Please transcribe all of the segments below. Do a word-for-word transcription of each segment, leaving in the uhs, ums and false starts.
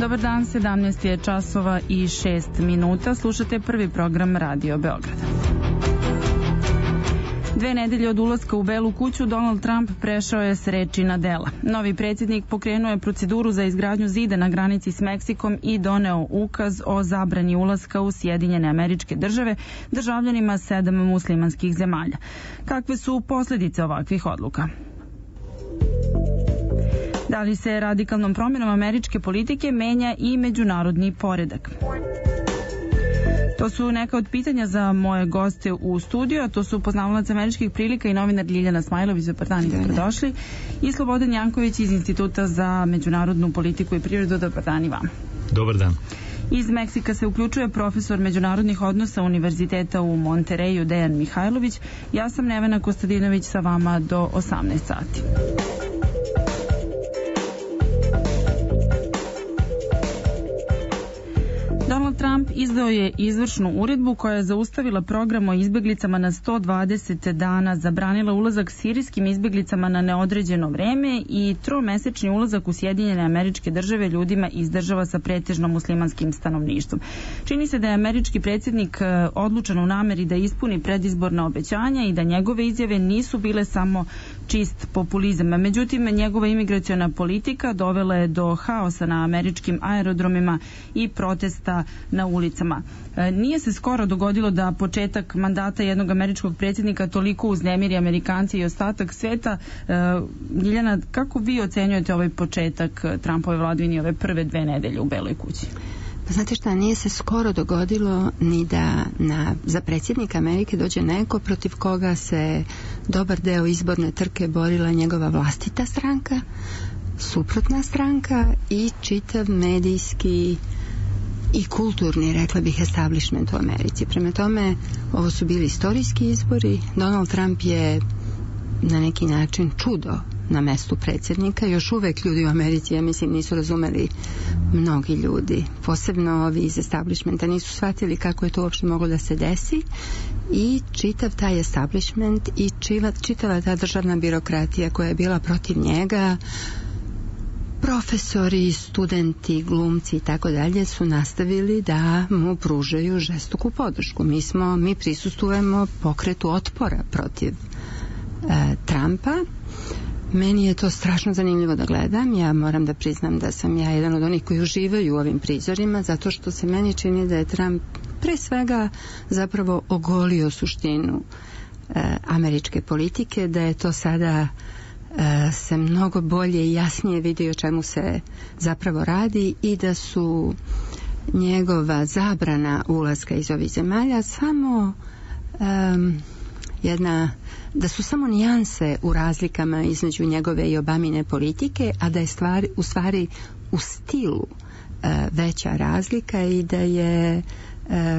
Dobar dan, sedamnaest je časova i šest minuta. Slušate prvi program Radio Beograda. Dve nedelje od ulaska u Belu kuću, Donald Trump prešao je s reči na dela. Novi predsjednik pokrenuo je proceduru za izgradnju zida na granici s Meksikom i doneo ukaz o zabrani ulaska u Sjedinjene Američke Države državljanima sedam muslimanskih zemalja. Kakve su posljedice ovakvih odluka? Da li se radikalnom promjenom američke politike menja i međunarodni poredak? To su neka od pitanja za moje goste u studiju, a to su poznavalac američkih prilika i novinar Ljiljana Smajlović. Dobar dan i dobrodošli. I Slobodan Janković iz Instituta za međunarodnu politiku i prirodu. Dobar dan i vam. Dobar dan. Iz Meksika se uključuje profesor međunarodnih odnosa Univerziteta u Montereju Dejan Mihajlović. Ja sam Nevena Kostadinović sa vama do osamnaest sati. Donald Trump izdao je izvršnu uredbu koja je zaustavila program o izbjeglicama na sto dvadeset dana, zabranila ulazak sirijskim izbjeglicama na neodređeno vreme i tromesečni ulazak u Sjedinjene Američke Države ljudima iz država sa pretežno muslimanskim stanovništvom. Čini se da je američki predsjednik odlučan u nameri da ispuni predizborna obećanja i da njegove izjave nisu bile samo čist populizam. Međutim, njegova imigraciona politika dovela je do haosa na američkim aerodromima i protesta na ulicama. Nije se skoro dogodilo da početak mandata jednog američkog predsjednika toliko uznemiri Amerikanci i ostatak sveta. Ljiljana, kako vi ocenjujete ovaj početak Trumpove vladavine, ove prve dve nedelje u Beloj kući? Pa znate šta, nije se skoro dogodilo ni da na, za predsjednika Amerike dođe neko protiv koga se dobar deo izborne trke borila njegova vlastita stranka, suprotna stranka i čitav medijski i kulturni, rekla bih, establishment u Americi. Prema tome, ovo su bili istorijski izbori. Donald Trump je na neki način čudo na mestu predsjednika. Još uvek ljudi u Americi, ja mislim, nisu razumeli, mnogi ljudi, posebno ovi iz establishmenta, nisu shvatili kako je to uopšte moglo da se desi i čitav taj establishment i čitava ta državna birokratija koja je bila protiv njega, profesori, studenti, glumci i tako dalje su nastavili da mu pružaju žestoku podršku. Mi smo, mi prisustujemo pokretu otpora protiv e, Trumpa. Meni je to strašno zanimljivo da gledam. Ja moram da priznam da sam ja jedan od onih koji uživaju u ovim prizorima, zato što se meni čini da je Trump pre svega zapravo ogolio suštinu e, američke politike, da je to sada e, se mnogo bolje i jasnije vidi o čemu se zapravo radi i da su njegova zabrana ulaska iz ovih zemalja samo e, jedna, da su samo nijanse u razlikama između njegove i Obamine politike, a da je stvar, u stvari u stilu e, veća razlika i da je e,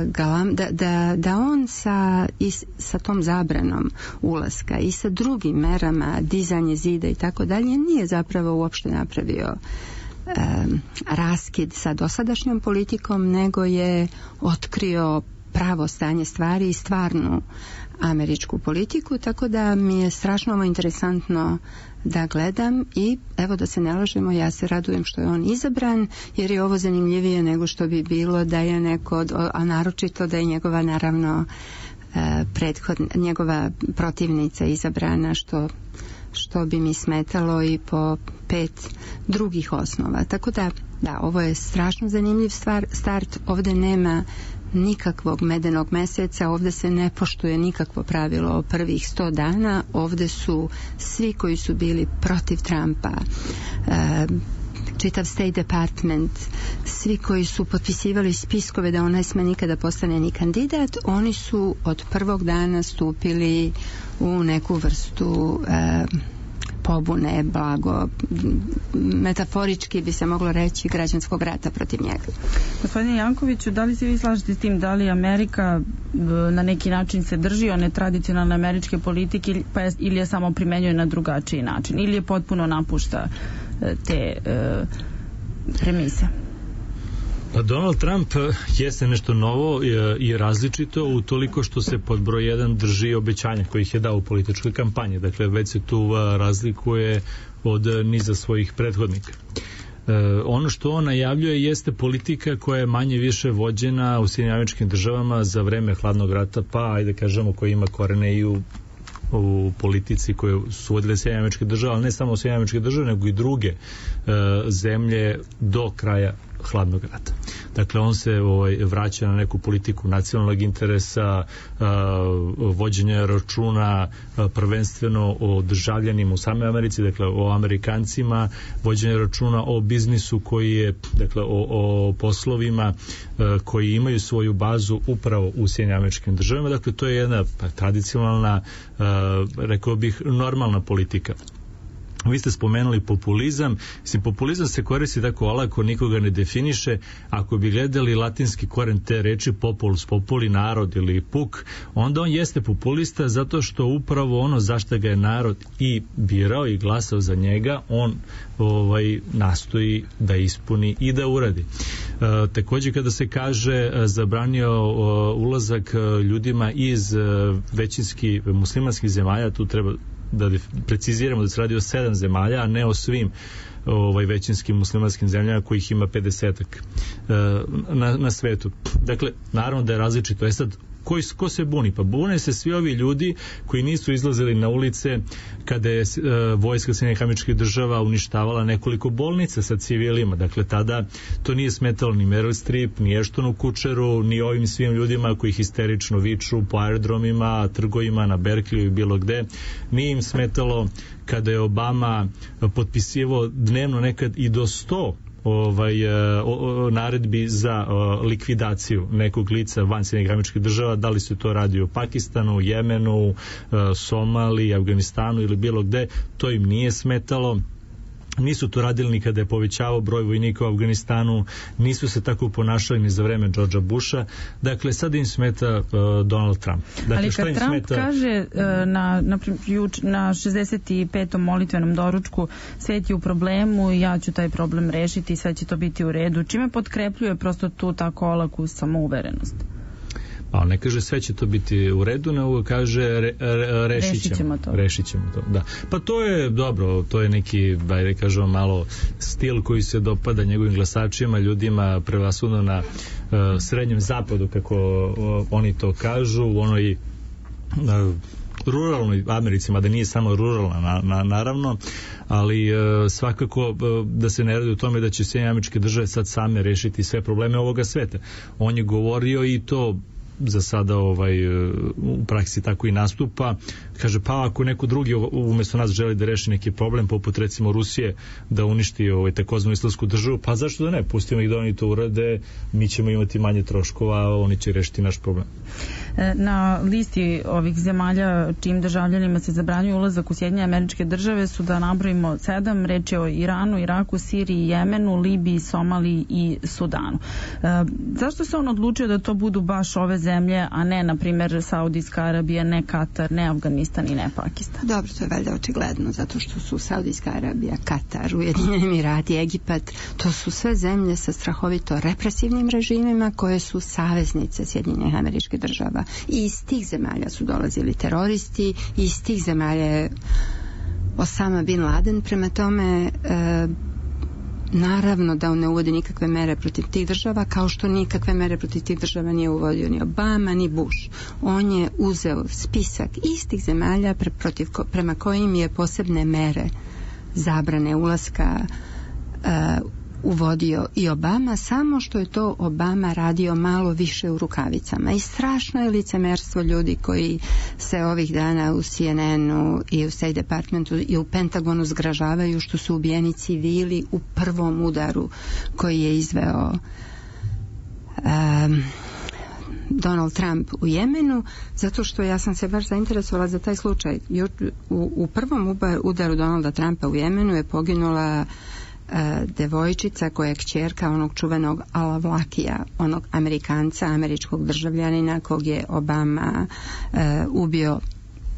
galam, da, da, da on sa, i sa tom zabranom ulaska i sa drugim merama, dizanje zida i tako dalje, nije zapravo uopšte napravio e, raskid sa dosadašnjom politikom, nego je otkrio pravo stanje stvari i stvarnu američku politiku, tako da mi je strašno ovo interesantno da gledam i evo, da se ne lažemo, ja se radujem što je on izabran, jer je ovo zanimljivije nego što bi bilo da je neko, a naročito da je njegova naravno prethod, njegova protivnica izabrana, što što bi mi smetalo i po pet drugih osnova. Tako da, da, ovo je strašno zanimljiv stvar, start. Ovdje nema nikakvog medenog meseca, ovdje se ne poštuje nikakvo pravilo o prvih sto dana, ovdje su svi koji su bili protiv Trumpa, e, čitav State Department, svi koji su potpisivali spiskove da on ne sme nikada postane ni kandidat, oni su od prvog dana stupili u neku vrstu e, pobune, blago, metaforički bi se moglo reći, građanskog rata protiv njega. Gospodine Jankoviću, da li se vi slažete s tim, da li Amerika na neki način se drži one tradicionalne američke politike pa je, ili je samo primenjuje na drugačiji način ili je potpuno napušta te e, premise? Pa Donald Trump jeste nešto novo i različito utoliko što se pod broj jedan drži obećanja kojih je dao u političkoj kampanji. Dakle, već se tu razlikuje od niza svojih prethodnika. ono što on najavljuje jeste politika koja je manje više vođena u Sjedinjenim Američkim Državama za vreme hladnog rata, pa ajde kažemo koja ima korene i u u politici koje su vodile Sjedinjene Američke Države, ali ne samo Sjedinjene Američke Države, nego i druge e, zemlje do kraja hladnog rata. Dakle, on se ovaj, vraća na neku politiku nacionalnog interesa, a, vođenja računa a, prvenstveno o državljanima u samoj Americi, dakle o Amerikancima, vođenja računa o biznisu koji je, dakle o, o poslovima a, koji imaju svoju bazu upravo u Sjedinjenim Američkim Državama. Dakle, to je jedna pa, tradicionalna, a, rekao bih, normalna politika. Vi ste spomenuli populizam. Mislim, populizam se koristi tako olako, nikoga ne definiše. Ako bi gledali latinski koren te reči populus, populi, narod ili puk, onda on jeste populista zato što upravo ono zašto ga je narod i birao i glasao za njega, on ovaj, nastoji da ispuni i da uradi. E, takođe kada se kaže zabranio o, ulazak ljudima iz većinski muslimanskih zemalja, tu treba da preciziramo da se radi o sedam zemalja, a ne o svim ovaj, većinskim muslimanskim zemljama kojih ima pedesetak na, na svetu. Dakle, naravno da je različito. E sad, Koji, ko se buni? Pa bune se svi ovi ljudi koji nisu izlazili na ulice kada je e, vojska Sjedinjenih Američkih Država uništavala nekoliko bolnica sa civilima. Dakle, tada to nije smetalo ni Meryl Streep, ni Ashtonu Kutcheru, ni ovim svim ljudima koji histerično viču po aerodromima, trgovima, na Berkeley i bilo gde. Nije im smetalo kada je Obama potpisivao dnevno nekad i do sto ovaj, o, o, naredbi za o, likvidaciju nekog lica van Sjedinjenih Američkih Država, da li se to radi u Pakistanu, Jemenu, o, Somaliji, Afganistanu ili bilo gde, to im nije smetalo. Nisu to radili ni kada je povećavao broj vojnika u Afganistanu, nisu se tako ponašali ni za vreme Georgea Busha. Dakle, sad im smeta uh, Donald Trump. Dakle, ali kad Trump smeta... kaže uh, na, na, na šezdeset petom molitvenom doručku svet je u problemu i ja ću taj problem rešiti i sve će to biti u redu, čime potkrepljuje prosto tu tako olaku samouverenost? Pa ne kaže sve će to biti u redu, nego kaže re, re, rešit, ćemo, rešit ćemo to. Rešit ćemo to, da. Pa to je dobro, to je neki, bajde kažemo, malo stil koji se dopada njegovim glasačima, ljudima prevasudno na uh, srednjem zapadu, kako uh, oni to kažu, u onoj uh, ruralnoj Americi, mada nije samo ruralna na, na, naravno, ali e, svakako e, da se ne radi o tome da će Sjedinjene Američke Države sad same rešiti sve probleme ovoga sveta. On je govorio i to za sada ovaj, u praksi tako i nastupa. Kaže, pa ako neko drugi umjesto nas želi da reši neki problem, poput recimo Rusije, da uništi ovaj, takozvanu islamsku državu, pa zašto da ne? Pustimo ih da oni to urade, mi ćemo imati manje troškova, a oni će rešiti naš problem. Na listi ovih zemalja čijim državljanima se zabranjuje ulazak u Sjedinjene Američke Države su, da nabrojimo sedam, reč je o Iranu, Iraku, Siriji, Jemenu, Libiji, Somaliji i Sudanu. E, zašto se on odlučio da to budu baš ove zemlje, a ne, na primjer, Saudijska Arabija, ne Katar, ne Afganistan i ne Pakistan? Dobro, to je valjda očigledno, zato što su Saudijska Arabija, Katar, Ujedinjeni Emirati, Egipat, to su sve zemlje sa strahovito represivnim režimima koje su saveznice Sjedinjenih Američkih Država. I iz tih zemalja su dolazili teroristi, i iz tih zemalja je Osama bin Laden. Prema tome, e, naravno da on ne uvodi nikakve mere protiv tih država, kao što nikakve mere protiv tih država nije uvodio ni Obama, ni Bush. On je uzeo spisak istih zemalja pre, protiv, prema kojim je posebne mere zabrane ulaska e, uvodio i Obama, samo što je to Obama radio malo više u rukavicama. I strašno je licemerstvo ljudi koji se ovih dana u C N N-u i u State Departmentu i u Pentagonu zgražavaju što su ubijeni civili u prvom udaru koji je izveo um, Donald Trump u Jemenu, zato što ja sam se baš zainteresovala za taj slučaj. U, u prvom udaru Donalda Trumpa u Jemenu je poginula devojčica koja je kćerka onog čuvenog Al-Awlakija, onog Amerikanca, američkog državljanina kog je Obama e, ubio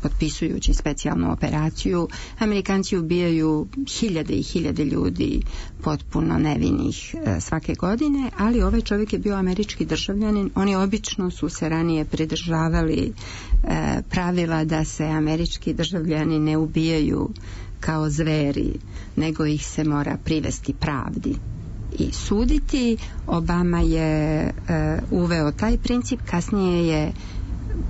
potpisujući specijalnu operaciju. Amerikanci ubijaju hiljade i hiljade ljudi potpuno nevinih e, svake godine, ali ovaj čovjek je bio američki državljanin. Oni obično su se ranije pridržavali e, pravila da se američki državljani ne ubijaju kao zveri, nego ih se mora privesti pravdi i suditi. Obama je uh, uveo taj princip, kasnije je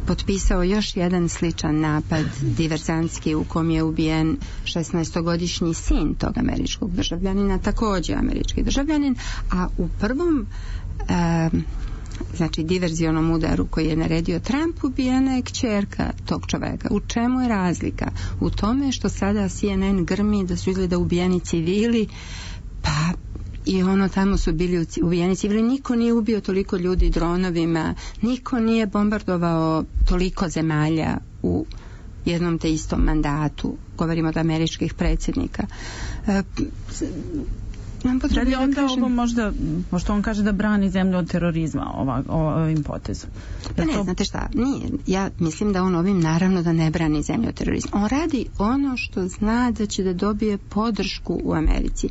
potpisao još jedan sličan napad diverzantski u kom je ubijen šesnaestogodišnji sin tog američkog državljanina, također američki državljanin, a u prvom uh, znači diverzionom udaru koji je naredio Trump ubijena je kćerka tog čoveka. U čemu je razlika? U tome što sada C N N grmi da su izgleda ubijeni civili, pa i ono tamo su bili ubijeni civili. Niko nije ubio toliko ljudi dronovima, niko nije bombardovao toliko zemalja u jednom te istom mandatu. Govorimo od američkih predsjednika. E, Da li onda ovo možda, pošto on kaže da brani zemlju od terorizma ova, ovim potezom? Pa ne, to... znate šta, nije. Ja mislim da on ovim naravno da ne brani zemlju od terorizma. On radi ono što zna da će da dobije podršku u Americi.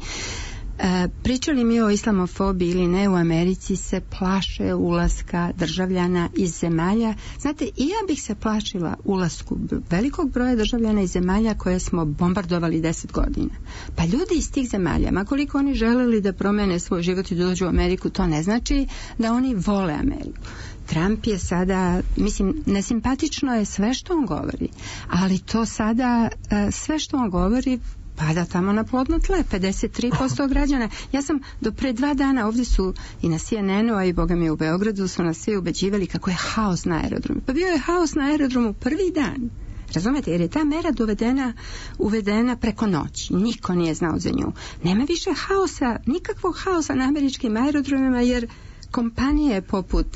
E, pričali mi o islamofobiji ili ne, u Americi se plaše ulaska državljana iz zemalja. Znate, i ja bih se plašila ulasku velikog broja državljana iz zemalja koje smo bombardovali deset godina. Pa ljudi iz tih zemalja, ma koliko oni želeli da promene svoj život i da dođu u Ameriku, to ne znači da oni vole Ameriku. Trump je sada, mislim, nesimpatično je sve što on govori, ali to sada, sve što on govori pada tamo na plodno tle, pedeset tri posto građana. Ja sam do pre dva dana, ovdje su i na C N N-u, a i boga mi u Beogradu su nas svi ubeđivali kako je haos na aerodromu. Pa bio je haos na aerodromu prvi dan. Razumete, jer je ta mera dovedena, uvedena preko noći. Niko nije znao za nju. Nema više haosa, nikakvog haosa na američkim aerodromima, jer kompanije poput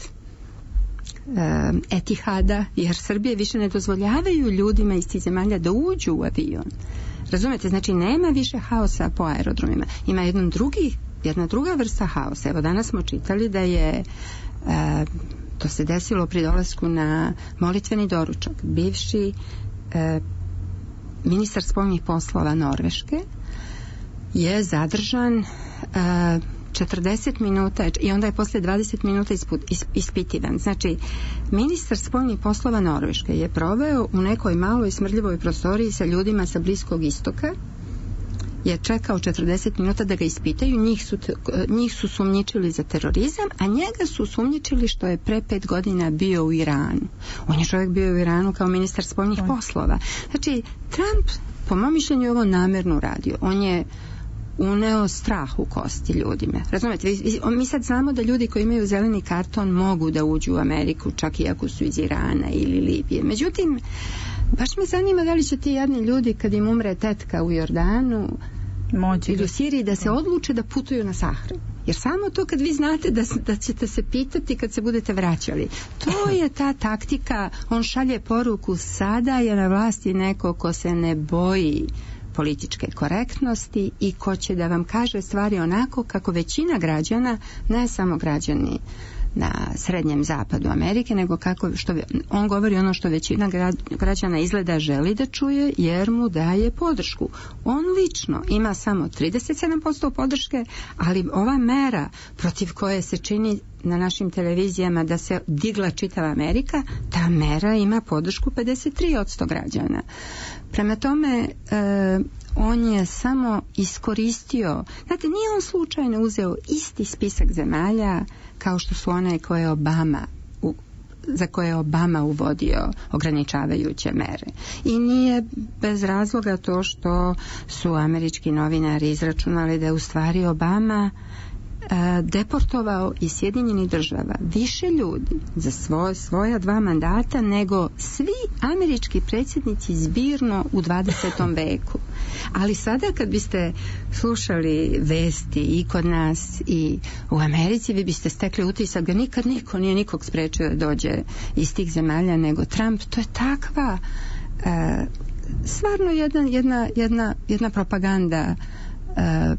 um, Etihada, jer Srbije više ne dozvoljavaju ljudima iz tih zemalja da uđu u avion. Razumete, znači nema više haosa po aerodromima. Ima jedan drugi, jedna druga vrsta haosa. Evo danas smo čitali da je e, to se desilo pri dolasku na molitveni doručak. Bivši e, ministar spoljnih poslova Norveške je zadržan e, četrdeset minuta i onda je posle dvadeset minuta isput, ispitivan. Znači, ministar spoljnih poslova Norveške je proveo u nekoj maloj smrdljivoj prostoriji sa ljudima sa Bliskog istoka, je čekao četrdeset minuta da ga ispitaju. Njih su, njih su sumnjičili za terorizam, a njega su sumnjičili što je pre pet godina bio u Iranu. On je čovjek bio u Iranu kao ministar spoljnih poslova. Znači, Trump, po mom mišljenju, ovo namerno radio. On je uneo strah u kosti ljudima. Razumete, mi sad znamo da ljudi koji imaju zeleni karton mogu da uđu u Ameriku, čak i ako su iz Irana ili Libije. Međutim, baš me zanima da li će ti jadni ljudi kad im umre tetka u Jordanu Moći ili u Siriji da se odluče da putuju na sahranu. Jer samo to kad vi znate da, da ćete se pitati kad se budete vraćali. To je ta taktika. On šalje poruku, sada je na vlasti neko ko se ne boji političke korektnosti i ko će da vam kaže stvari onako kako većina građana, ne samo građani na srednjem zapadu Amerike, nego kako što on govori ono što većina građana izgleda želi da čuje, jer mu daje podršku. On lično ima samo trideset sedam posto podrške, ali ova mera protiv koje se čini na našim televizijama da se digla čitava Amerika, ta mera ima podršku pedeset tri posto građana. Prema tome, e, on je samo iskoristio, znate, nije on slučajno uzeo isti spisak zemalja kao što su one koje je Obama u, za koje je Obama uvodio ograničavajuće mere. I nije bez razloga to što su američki novinari izračunali da je u stvari Obama deportovao iz Sjedinjenih država više ljudi za svoj, svoja dva mandata nego svi američki predsjednici zbirno u dvadesetom veku. Ali sada kad biste slušali vesti i kod nas i u Americi, vi biste stekli utisak da nikad niko nije nikog sprečio da dođe iz tih zemalja nego Trump. To je takva e, stvarno jedna, jedna, jedna, jedna propaganda e,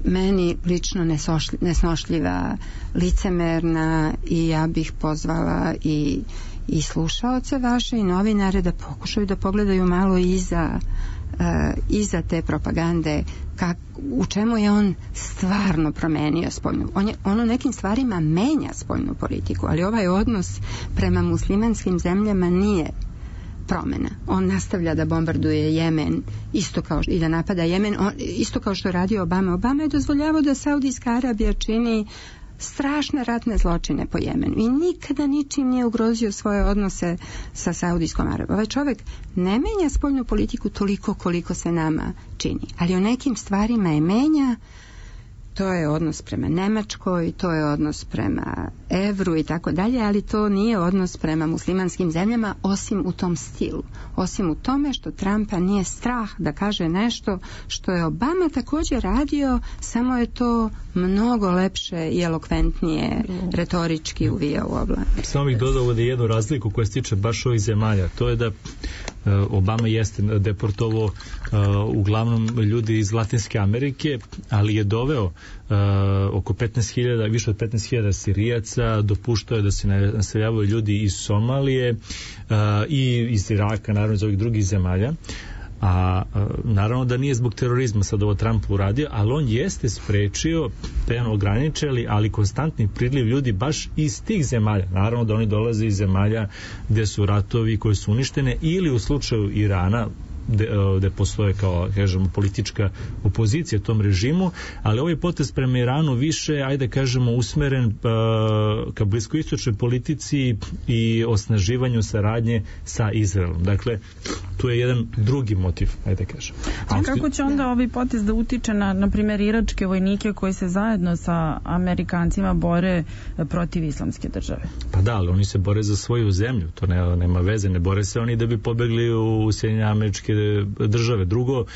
meni lično nesnošljiva, licemerna, i ja bih pozvala i, i slušaoce vaše i novinare da pokušaju da pogledaju malo iza, uh, iza te propagande, kak, u čemu je on stvarno promenio spoljnu. On, je, on u nekim stvarima menja spoljnu politiku, ali ovaj odnos prema muslimanskim zemljama nije promena. On nastavlja da bombarduje Jemen isto kao i da napada Jemen, on, isto kao što je radio Obama. Obama je dozvoljavao da Saudijska Arabija čini strašne ratne zločine po Jemenu i nikada ničim nije ugrozio svoje odnose sa Saudijskom Arabijom. Ovaj čovjek ne menja spoljnu politiku toliko koliko se nama čini, ali u nekim stvarima je menja. To je odnos prema Nemačkoj, to je odnos prema evru i tako dalje, ali to nije odnos prema muslimanskim zemljama, osim u tom stilu. Osim u tome što Trumpa nije strah da kaže nešto što je Obama također radio, samo je to mnogo lepše i elokventnije retorički uvija u obla. Samo bih dodao ovdje jednu razliku koja se tiče baš ovih zemalja. To je da Obama jeste deportovao uh, uglavnom ljudi iz Latinske Amerike, ali je doveo uh, oko petnaest hiljada, više od petnaest hiljada Sirijaca, dopuštao je da se naseljavaju ljudi iz Somalije uh, i iz Iraka, naravno iz ovih drugih zemalja. A naravno da nije zbog terorizma sad ovo Trump uradio, ali on jeste sprečio, te on ograničili, ali konstantni priljev ljudi baš iz tih zemalja. Naravno da oni dolaze iz zemalja gdje su ratovi koji su uništene, ili u slučaju Irana gde postoje kao, kažemo, politička opozicija tom režimu, ali ovaj potez prema Iranu više, ajde kažemo, usmeren uh, ka bliskoistočnoj politici i osnaživanju saradnje sa Izraelom. Dakle, tu je jedan drugi motiv, ajde kažemo. A kako će onda ovaj potez da utiče na, na primjer, iračke vojnike koji se zajedno sa Amerikancima bore protiv islamske države? Pa da, ali oni se bore za svoju zemlju, to ne, nema veze, ne bore se oni da bi pobegli u Sjedinjene Američke države. Drugo, uh,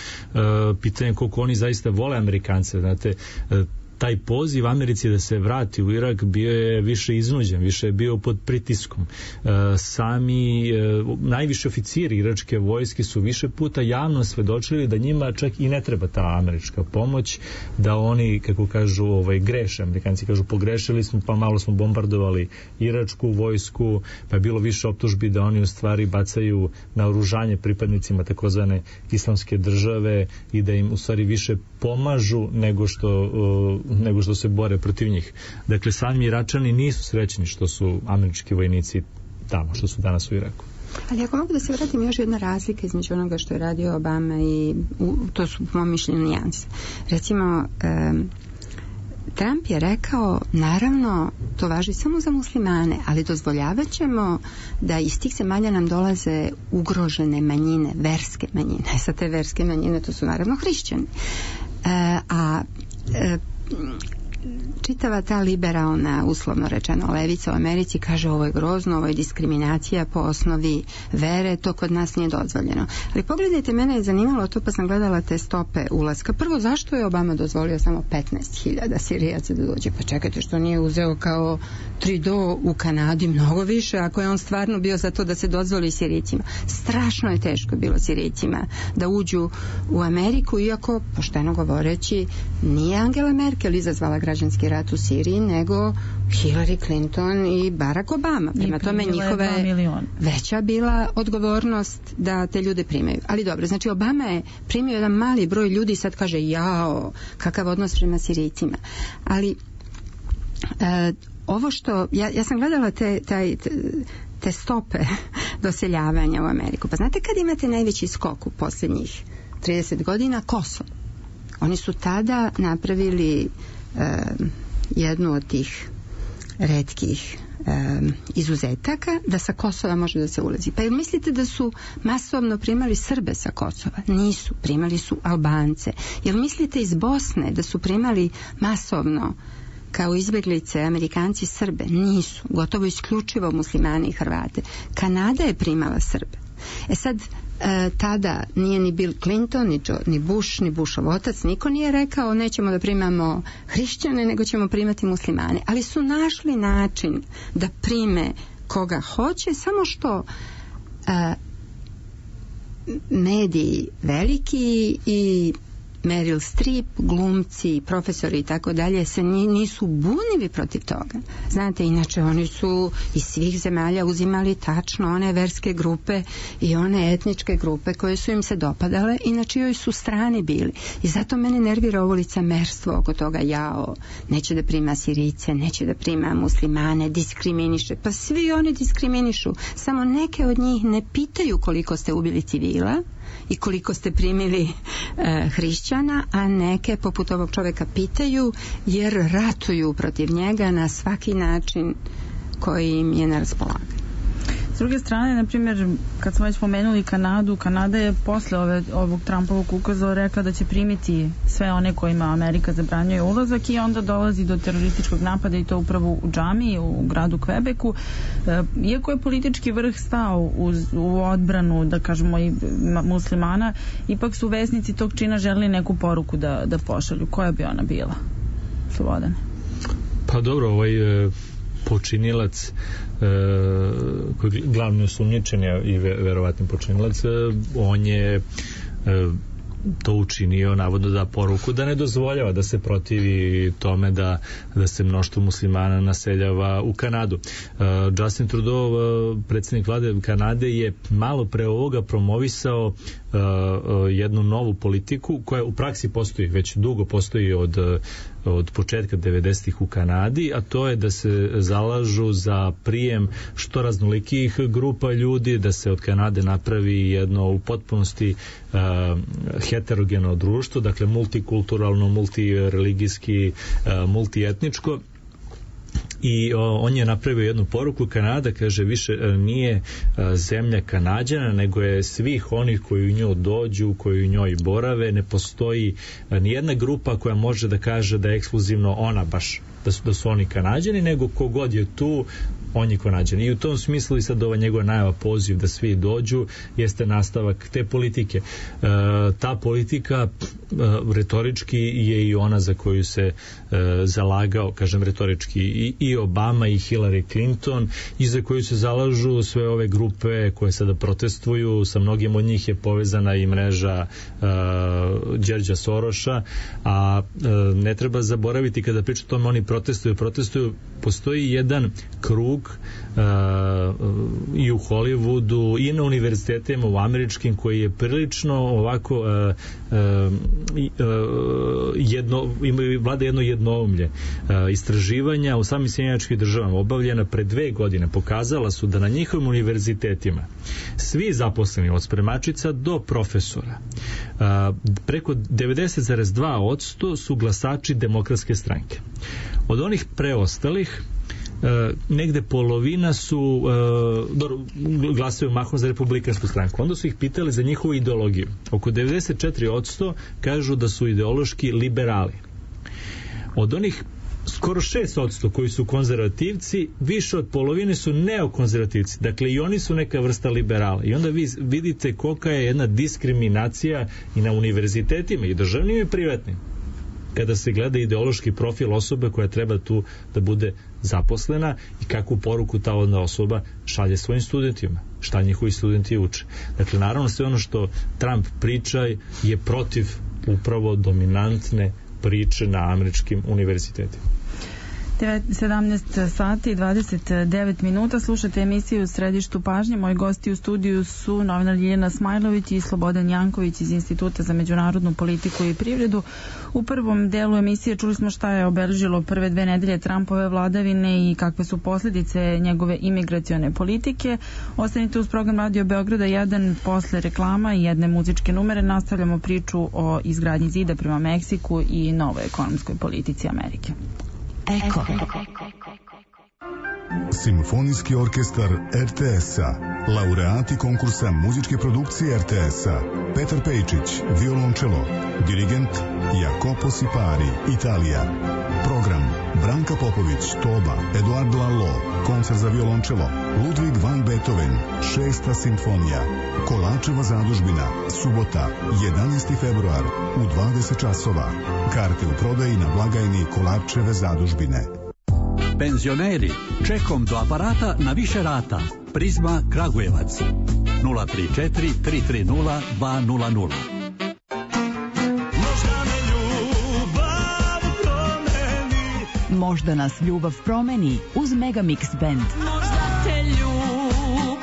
pitanje koliko oni zaista vole Amerikance, znate, uh, taj poziv Americi da se vrati u Irak bio je više iznuđen, više je bio pod pritiskom. E, sami e, najviši oficiri iračke vojske su više puta javno svedočili da njima čak i ne treba ta američka pomoć, da oni, kako kažu, ovaj, greše. Amerikanci kažu pogrešili smo, pa malo smo bombardovali iračku vojsku, pa je bilo više optužbi da oni u stvari bacaju naoružanje pripadnicima takozvane islamske države i da im u stvari više pomažu nego što uh, nego što se bore protiv njih. Dakle, sami Iračani nisu srećni što su američki vojnici tamo, što su danas u Iraku. Ali ako mogu da se vratim, još jedna razlika između onoga što je radio Obama i u, to su po mom mišljenju nijanse. Recimo, um, Trump je rekao, naravno, to važi samo za muslimane, ali dozvoljavat ćemo da iz tih zemalja nam dolaze ugrožene manjine, verske manjine. Sa te verske manjine to su naravno hrišćani. Uh, a uh, čitava ta liberalna, uslovno rečeno, levica u Americi kaže ovo je grozno, ovo je diskriminacija po osnovi vere, to kod nas nije dozvoljeno. Ali pogledajte, mene je zanimalo to, pa sam gledala te stope ulaska. Prvo, zašto je Obama dozvolio samo petnaest hiljada Sirijaca da dođe? Pa čekajte, što nije uzeo kao Trudeau u Kanadi mnogo više, ako je on stvarno bio za to da se dozvoli Sirijcima. Strašno je teško bilo Sirijcima da uđu u Ameriku, iako, pošteno govoreći, nije Angela Merkel izazvala građanski rat u Siriji, nego Hillary Clinton i Barack Obama. Prema tome njihove veća bila odgovornost da te ljude primaju. Ali dobro, znači Obama je primio jedan mali broj ljudi i sad kaže jao, kakav odnos prema Sirijcima. Ali e, ovo što, ja, ja sam gledala te, taj, te, te stope doseljavanja u Ameriku. Pa znate kad imate najveći skok u posljednjih trideset godina? Kosovo. Oni su tada napravili e, jednu od tih retkih e, izuzetaka da sa Kosova može da se ulazi. Pa jel mislite da su masovno primali Srbe sa Kosova? Nisu, primali su Albance. Jel mislite iz Bosne da su primali masovno kao izbjeglice Amerikanci Srbe? Nisu, gotovo isključivo muslimani i Hrvate. Kanada je primala Srbe. E sad, e, tada nije ni Bill Clinton, ni, Joe, ni Bush, ni Bushov otac, niko nije rekao nećemo da primamo hrišćane, nego ćemo primati muslimane. Ali su našli način da prime koga hoće, samo što e, mediji veliki i Meryl Streep, glumci, profesori i tako dalje se nisu bunili protiv toga. Znate, inače oni su iz svih zemalja uzimali tačno one verske grupe i one etničke grupe koje su im se dopadale i na čijoj su strani bili. I zato mene nervira ovo licemerstvo oko toga, jao, neće da prima Sirice, neće da prima muslimane, diskriminiše. Pa svi oni diskriminišu. Samo neke od njih ne pitaju koliko ste ubili civila i koliko ste primili e, hrišćana, a neke poput ovog čoveka pitaju jer ratuju protiv njega na svaki način koji im je na raspolaganju. S druge strane, na primjer, kad smo već spomenuli Kanadu, Kanada je posle ove, ovog Trumpovog ukaza rekla da će primiti sve one kojima Amerika zabranjuje ulazak i onda dolazi do terorističkog napada i to upravo u džamiji u gradu Kvebeku. E, iako je politički vrh stao uz, u odbranu, da kažemo, i muslimana, ipak su vesnici tog čina želeli neku poruku da, da pošalju. Koja bi ona bila? Slobodane. Pa dobro, ovaj e, počinilac e, koji glavni osumnjičen i verovatni počinilac, e, on je e, to učinio navodno da poruku da ne dozvoljava da se protivi tome da, da se mnoštvo muslimana naseljava u Kanadu. Uh, Justin Trudeau, uh, predsjednik vlade Kanade, je malo pre ovoga promovisao uh, uh, jednu novu politiku koja u praksi postoji, već dugo postoji od od početka devedesetih u Kanadi, a to je da se zalažu za prijem što raznolikih grupa ljudi, da se od Kanade napravi jedno u potpunosti uh, heterogeno društvo, dakle multikulturalno, multireligijski, uh, multietničko. I o, on je napravio jednu poruku. Kanada, kaže, više nije a, zemlja Kanađana, nego je svih onih koji u nju dođu, koji u njoj borave. Ne postoji a, nijedna grupa koja može da kaže da je ekskluzivno ona baš, da su, da su oni Kanađani, nego kogod je tu, on je Kanađan. I u tom smislu i sad ova njegova najava, poziv da svi dođu, jeste nastavak te politike. E, ta politika e, retorički je i ona za koju se e, zalagao, kažem retorički, i, i Obama i Hillary Clinton, i za koju se zalažu sve ove grupe koje sada protestuju. Sa mnogim od njih je povezana i mreža e, Đorđa Soroša, a e, ne treba zaboraviti kada priča o tome oni protestuju, protestuju, postoji jedan krug Uh, i u Hollywoodu i na univerzitetima u američkim koji je prilično ovako uh, uh, uh, jedno, imaju vlada jedno jednoumlje. Uh, istraživanja u samim Sjedinjenim Državama obavljena pre dve godine pokazala su da na njihovim univerzitetima svi zaposleni od spremačica do profesora uh, preko devedeset zarez dva posto su glasači Demokratske stranke. Od onih preostalih Uh, negde polovina su uh, glasaju mahom za Republikansku stranku. Onda su ih pitali za njihovu ideologiju. Oko devedeset četiri posto kažu da su ideološki liberali. Od onih skoro šest posto koji su konzervativci, više od polovine su neokonzervativci. Dakle, i oni su neka vrsta liberala. I onda vi vidite kolika je jedna diskriminacija i na univerzitetima, i državnim i privatnim, kada se gleda ideološki profil osobe koja treba tu da bude zaposlena i kakvu poruku ta odna osoba šalje svojim studentima, šta njihovi studenti uče. Dakle, naravno, sve ono što Trump priča je protiv upravo dominantne priče na američkim univerzitetima. sedamnaest sati i dvadeset devet minuta. Slušate emisiju Središtu pažnje. Moji gosti u studiju su novinar Ljiljana Smajlović i Slobodan Janković iz Instituta za međunarodnu politiku i privredu. U prvom delu emisije čuli smo šta je obeležilo prve dve nedelje Trumpove vladavine i kakve su posljedice njegove imigracione politike. Ostanite uz program Radio Beograda jedan. Posle reklama i jedne muzičke numere nastavljamo priču o izgradnji zida prema Meksiku i novoj ekonomskoj politici Amerike. Eko. Simfonijski orkestar er te es-a, laureati konkursa muzičke produkcije er te es-a, Petar Pejčić, violončelo, dirigent Jacopo Sipari, Italija. Program: Branka Popović, toba, Eduard Lalo, koncert za violončelo, Ludwig van Beethoven, šesta simfonija, Kolačeva zadužbina, subota, jedanaesti februar, u dvadeset časova. Karte u prodaji na blagajni Kolačeve zadužbine. Penzioneri, čekom do aparata na više rata. Prizma Kragujevac. nula tri četiri tri tri nula dva nula nula. Možda Možda nas ljubav promeni uz Megamix Band. Možda te ljubav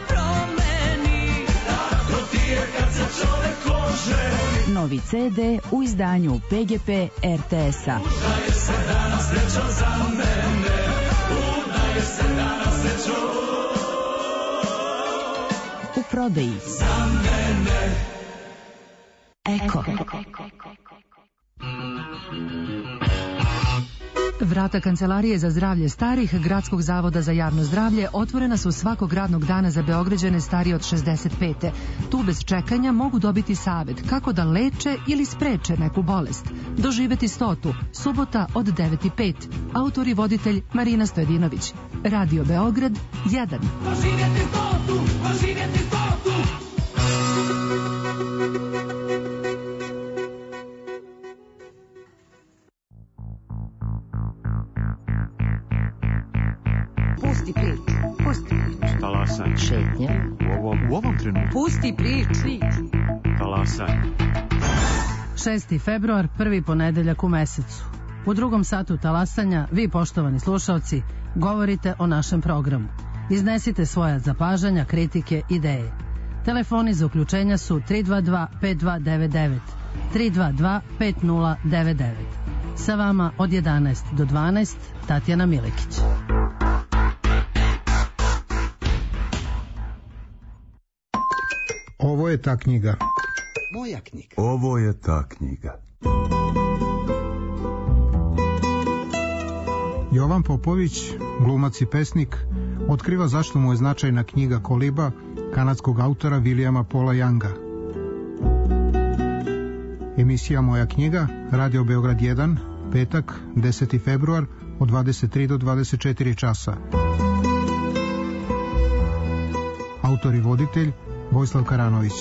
promeni, tako ti je kad se čovek oženi. Novi ce de u izdanju P G P R T S-a. Udaje se danas srećo za mene, udaje se danas srećo u prodaji. Za mene. Eko. Vrata Kancelarije za zdravlje starih Gradskog zavoda za javno zdravlje otvorena su svakog radnog dana za Beograđane starije od šezdeset pete. Tu bez čekanja mogu dobiti savet kako da leče ili spreče neku bolest. Doživeti stotu, subota od devet i pet. Autor i voditelj Marina Stojedinović. Radio Beograd jedan. Doživjeti stotu, doživjeti stotu. Pusti priču, pusti priču. Talasanje. Šetnja. U ovom, u ovom trenutku. Pusti priču. Talasanje. šesti februar, prvi ponedeljak u mesecu. U drugom satu talasanja, vi poštovani slušalci, govorite o našem programu. Iznesite svoja zapažanja, kritike, ideje. Telefoni za uključenja su tri dva dva pet dva devet devet, tri dva dva pet nula devet devet. Sa vama od jedanaest do dvanaest, Tatjana Milekić. Ovo je ta knjiga. Moja knjiga. Ovo je ta knjiga. Jovan Popović, glumac i pesnik, otkriva zašto mu je značajna knjiga Koliba kanadskog autora Williama Paula Younga. Emisija Moja knjiga, Radio Beograd jedan, petak, deseti februar, od dvadeset tri do dvadeset četiri časa. Autor i voditelj Vojislav Karanović.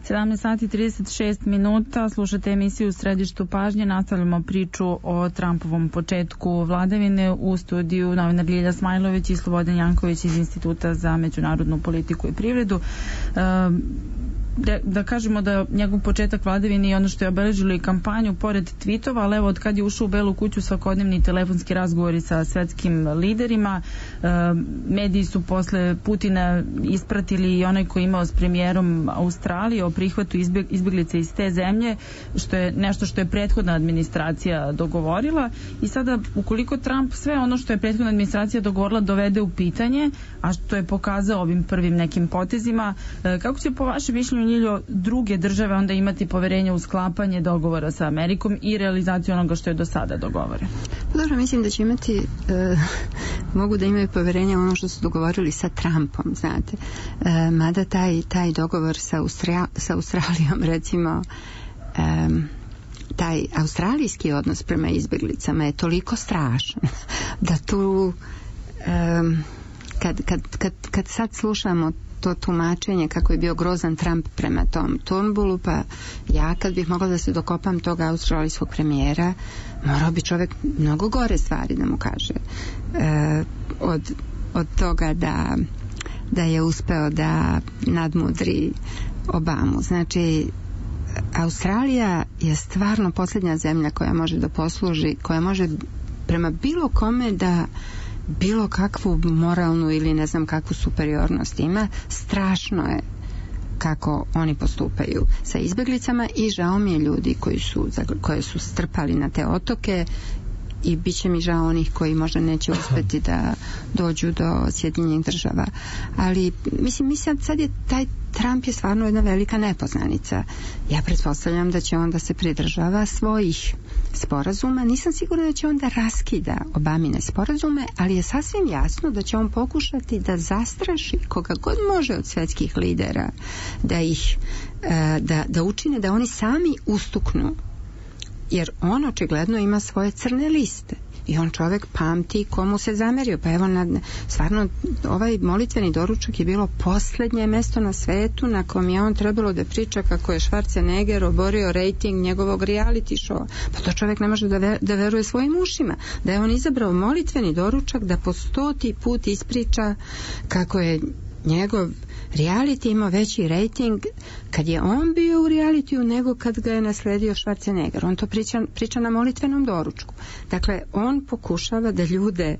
sedamnaest sati i trideset šest minuta, slušate emisiju u Središtu pažnje, nastavljamo priču o Trumpovom početku vladavine. U studiju novinar Ljilja Smajlović i Slobodan Janković iz Instituta za međunarodnu politiku i privredu. Da, da kažemo da njegov početak vladavine i ono što je obeležilo i kampanju pored tweetova, ali evo od kad je ušao u Belu kuću svakodnevni telefonski razgovori sa svetskim liderima, e, mediji su posle Putina ispratili i onaj koji imao s premijerom Australije o prihvatu izbjeg, izbjeglice iz te zemlje, što je nešto što je prethodna administracija dogovorila, i sada ukoliko Trump sve ono što je prethodna administracija dogovorila dovede u pitanje, a što je pokazao ovim prvim nekim potezima, e, kako će po vašem mišljenju Ljiljo druge države onda imati poverenje u sklapanje dogovora sa Amerikom i realizaciju onoga što je do sada dogovoreno? Dobro, mislim da će imati e, mogu da imaju poverenje u ono što su dogovorili sa Trumpom, znate. E, mada taj, taj dogovor sa, Austra, sa Australijom, recimo, e, taj australijski odnos prema izbjeglicama je toliko strašan da tu e, kad, kad, kad, kad sad slušamo to tumačenje kako je bio grozan Trump prema tom Turnbullu, pa ja kad bih mogla da se dokopam toga australijskog premijera, morao bi čovjek mnogo gore stvari da mu kaže. E, od, od toga da, da je uspeo da nadmudri Obamu. Znači, Australija je stvarno posljednja zemlja koja može da posluži, koja može prema bilo kome da bilo kakvu moralnu ili ne znam kakvu superiornost ima. Strašno je kako oni postupaju sa izbjeglicama i žao mi je ljudi koji su, koje su strpali na te otoke, i bit će mi žao onih koji možda neće uspeti da dođu do Sjedinjenih država. Ali mislim, mislim sad je taj Trump je stvarno jedna velika nepoznanica. Ja pretpostavljam da će on da se pridržava svojih sporazuma. Nisam sigurna da će on da raskida Obamine sporazume, ali je sasvim jasno da će on pokušati da zastraši koga god može od svjetskih lidera, da ih da, da učine da oni sami ustuknu, jer on očigledno ima svoje crne liste i on čovjek pamti komu se zamerio. Pa evo, na, stvarno ovaj molitveni doručak je bilo posljednje mjesto na svetu na kom je on trebalo da priča kako je Schwarzenegger oborio rating njegovog reality showa. Pa to čovjek ne može da, ver, da veruje svojim ušima, da je on izabrao molitveni doručak da po stoti put ispriča kako je njegov reality imao veći rating kad je on bio u realitiju nego kad ga je nasledio Schwarzenegger. On to priča, priča na molitvenom doručku. Dakle, on pokušava da ljude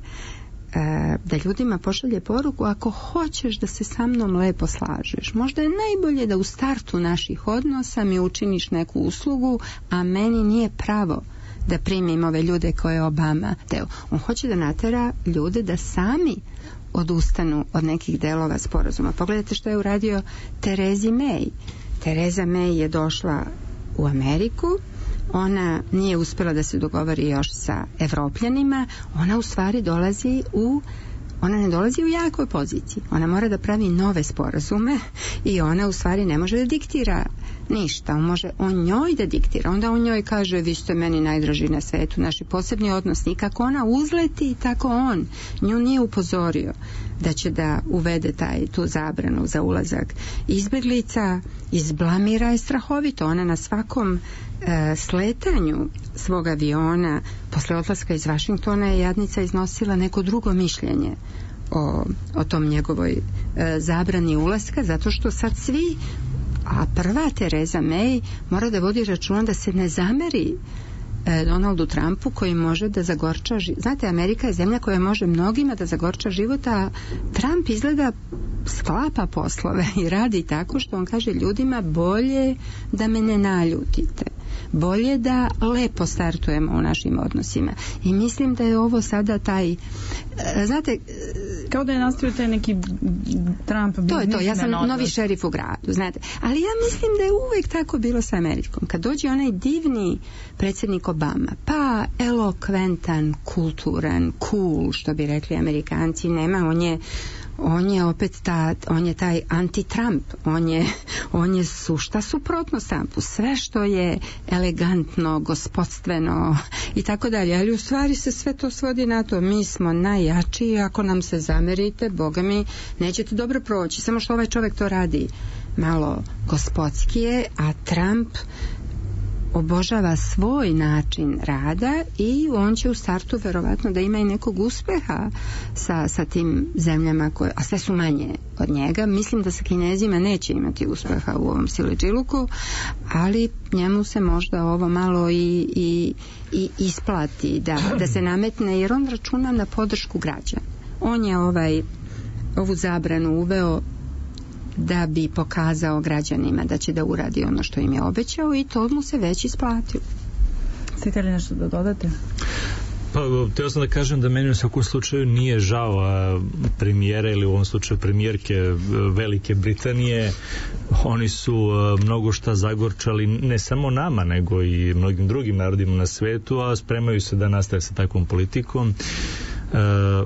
da ljudima pošalje poruku: ako hoćeš da se sa mnom lepo slažeš, možda je najbolje da u startu naših odnosa mi učiniš neku uslugu, a meni nije pravo da primim ove ljude koje je Obama teo. On hoće da natera ljude da sami odustanu od nekih delova sporazuma. Pogledajte što je uradio Terezi May. Tereza May je došla u Ameriku, ona nije uspjela da se dogovori još sa Evropljanima, ona u stvari dolazi u ona ne dolazi u jakoj poziciji. Ona mora da pravi nove sporazume i ona u stvari ne može da diktira ništa. On može on njoj da diktira. Onda on njoj kaže: vi ste meni najdraži na svetu, naši posebni odnosi. I kako ona uzleti, tako on nju nije upozorio da će da uvede taj, tu zabranu za ulazak izbjeglica. Izblamira je strahovito. Ona na svakom e, sletanju svog aviona posle odlaska iz Vašingtona je jadnica iznosila neko drugo mišljenje o, o tom njegovoj e, zabrani ulaska, zato što sad svi, a prva Tereza May mora da vodi računa da se ne zameri e, Donaldu Trumpu koji može da zagorča život. Znate, Amerika je zemlja koja može mnogima da zagorča život, a Trump izgleda sklapa poslove i radi tako što on kaže ljudima: bolje da me ne naljutite, bolje da lepo startujemo u našim odnosima. I mislim da je ovo sada taj, znate, kao da je nastavio taj neki Trump. To je to, ja sam novi šerif u gradu, znate. Ali ja mislim da je uvijek tako bilo sa Amerikom. Kad dođe onaj divni predsjednik Obama, pa elokventan, kulturan, cool, što bi rekli Amerikanci, nema, on je on je opet ta, on je taj anti-Trump, on je, on je sušta suprotnost Trumpu, sve što je elegantno, gospodstveno i tako dalje, ali u stvari se sve to svodi na to, mi smo najjači i ako nam se zamerite, boga mi, nećete dobro proći, samo što ovaj čovjek to radi malo gospodskije, a Trump obožava svoj način rada i on će u startu verovatno da ima i nekog uspeha sa, sa tim zemljama koje, a sve su manje od njega. Mislim da sa Kinezima neće imati uspeha u ovom siledžiluku, ali njemu se možda ovo malo i, i, i isplati da, da se nametne, jer on računa na podršku građana. On je ovaj, ovu zabranu uveo da bi pokazao građanima da će da uradi ono što im je obećao i to mu se već isplatilo. Ste li nešto da dodate? Pa, teo sam da kažem da meni u svakom slučaju nije žao premijera ili u ovom slučaju premijerke Velike Britanije. Oni su mnogo šta zagorčali ne samo nama, nego i mnogim drugim narodima na svetu, a spremaju se da nastave sa takvom politikom. Uh,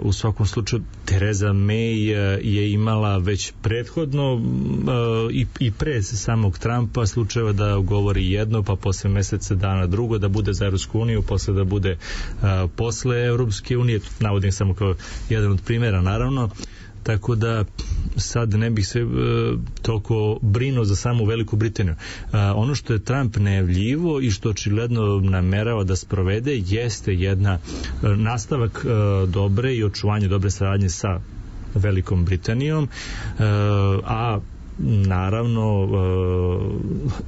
u svakom slučaju Tereza May je imala već prethodno uh, i, i pre samog Trumpa slučajeva da govori jedno, pa posle meseca dana drugo, da bude za Evropsku uniju, posle da bude uh, posle Evropske unije, navodim samo kao jedan od primjera naravno, tako da sad ne bih se uh, toliko brinuo za samu Veliku Britaniju. Uh, ono što je Trump najavljivo i što očigledno namerava da sprovede jeste jedna uh, nastavak uh, dobre i očuvanje dobre saradnje sa Velikom Britanijom, uh, a naravno uh,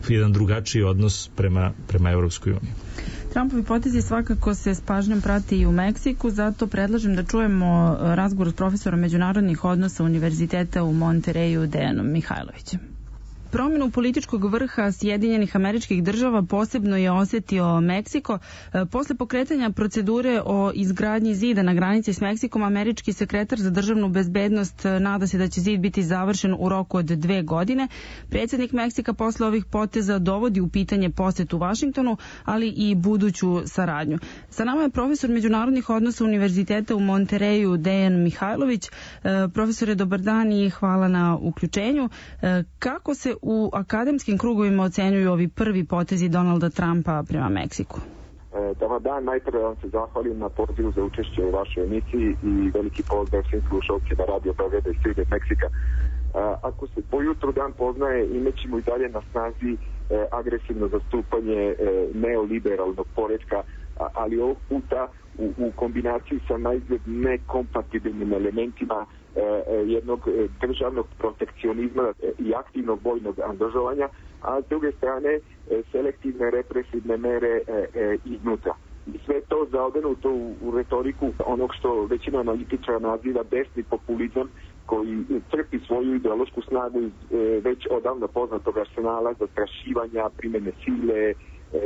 jedan drugačiji odnos prema, prema Evropskoj uniji. Trumpovi potezi svakako se s pažnjom prati i u Meksiku, zato predlažem da čujemo razgovor s profesorom međunarodnih odnosa Univerziteta u Montereju Dejanom Mihajlovićem. Promjenu političkog vrha Sjedinjenih Američkih Država posebno je osjetio Meksiko. Posle pokretanja procedure o izgradnji zida na granici s Meksikom, američki sekretar za državnu bezbednost nada se da će zid biti završen u roku od dve godine. Predsjednik Meksika posle ovih poteza dovodi u pitanje posjetu Vašingtonu, ali i buduću saradnju. Sa nama je profesor međunarodnih odnosa Univerziteta u Montereju Dejan Mihajlović. Profesore, dobar dan i hvala na uključenju. Kako se u akademskim krugovima ocenjuju ovi prvi potezi Donalda Trumpa prema Meksiku? Dobar dan, najprve vam se zahvalim na pozivu za učešće u vašoj emisiji i veliki pozdrav svim slušalcima Radio Beograda i Srede Meksika. Ako se po jutru dan poznaje, imećemo i dalje na snazi agresivno zastupanje neoliberalnog poretka, ali ovog puta u, u kombinaciji sa najzgled nekompatibilnim elementima jednog državnog protekcionizma i aktivnog vojnog angažovanja, a s druge strane selektivne represivne mere iznutra. I sve to zaodenuto u, u retoriku onog što većina analitičara naziva desni populizam, koji crpi svoju ideološku snagu iz već odavno poznatog arsenala zastrašivanja, primjene sile,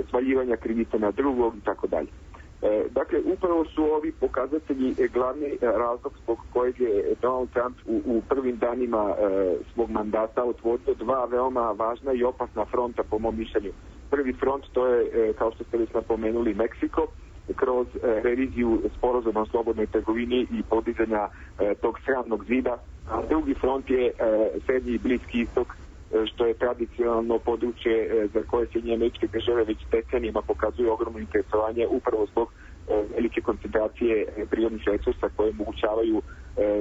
svaljivanja krivice na drugog i tako dalje. Dakle, upravo su ovi pokazatelji glavni razlog zbog kojeg je Donald Trump u, u prvim danima e, svog mandata otvorio dva veoma važna i opasna fronta po mom mišljenju. Prvi front to je, e, kao što ste već napomenuli, Meksiko, kroz e, reviziju sporazuma o slobodnoj trgovini i podizanja e, tog sramnog zida, a drugi front je e, Srednji i Bliski istok, što je tradicionalno područje za koje se Američke države već decenijima pokazuju ogromno interesovanje upravo zbog velike koncentracije prirodnih resursa koje omogućavaju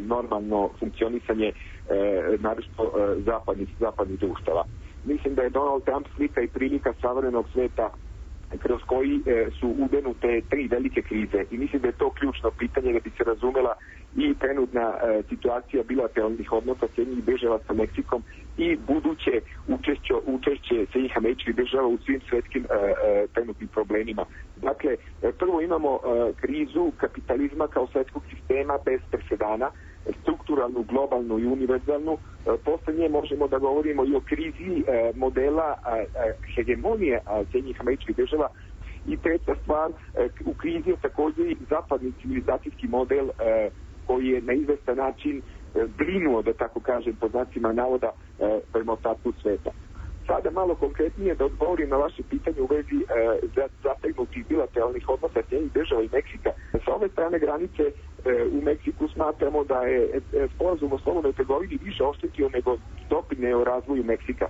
normalno funkcionisanje naročito zapadnih, zapadnih društava. Mislim da je Donald Trump slika i prilika savremenog sveta kroz koji su udenute tri velike krize i mislim da je to ključno pitanje da bi se razumela i trenutna e, situacija bilateralnih odnosa Sjedinjenih država sa Meksikom i buduće učešće, učešće Sjedinjenih Američkih država u svim svetskim e, e, trenutnim problemima. Dakle, e, prvo imamo e, krizu kapitalizma kao svetskog sistema bez presedana, strukturalnu, globalnu i univerzalnu. E, posle nje možemo da govorimo i o krizi e, modela e, hegemonije Sjedinjenih Američkih država. I treća stvar, e, u krizi je također i zapadni civilizacijski model e, koji je na izvestan način brinuo, da tako kažem, po znacima navoda, prema ostatku sveta. Sada malo konkretnije da odgovorim na vaše pitanje u vezi e, zategnutih bilateralnih odnosa Sjedinjenih država i Meksika. Sa ove strane granice u Meksiku smatramo da je sporazum o slobodnoj trgovini više oštetio nego doprineo razvoju Meksika.